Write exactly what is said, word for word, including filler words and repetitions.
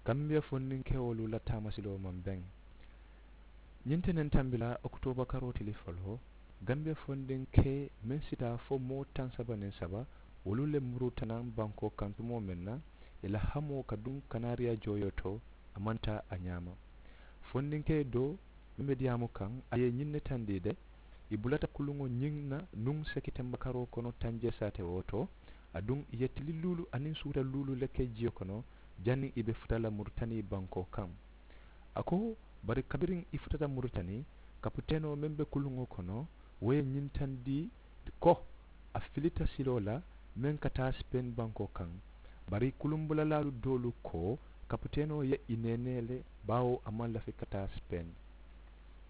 Gambiya fondinkewolu la taamasiloo maŋ beŋ. Ñiŋ te neŋ tambi la okitooba karoo tili foloo, gambiya fondinkee meŋ si taa fo moo taŋ saba niŋ saba, wolu le murutanaŋ bankoo kaŋ tumoo meŋ na, ì la hamoo ka duŋ kanaariya jooyoo to, a maŋ taa a ñaama. Fondinkee doo meŋ be diyaamu kaŋ, a ye ñiŋ ne tandi de, ì bulata kuluŋo ñiŋ na nuŋ sekitemba karoo kono tanjee saate wo to, aduŋ ì ye tili luulu aniŋ suuta luulu le ke jiyo kono, janniŋ ì be futa la muritani bankoo kaŋ. A ko, bari kabiriŋ ì futata muritani, kapiteenoo meŋ be kuluŋo kono, wo ye ñiŋ tandi ko, a filita siloo la meŋ ka taa sipeeni bankoo kaŋ. Bari kuluŋ bulalaalu doolu ko, kapiteenoo ye ì neenee le, baawo a maŋ lafi ka taa sipeeni.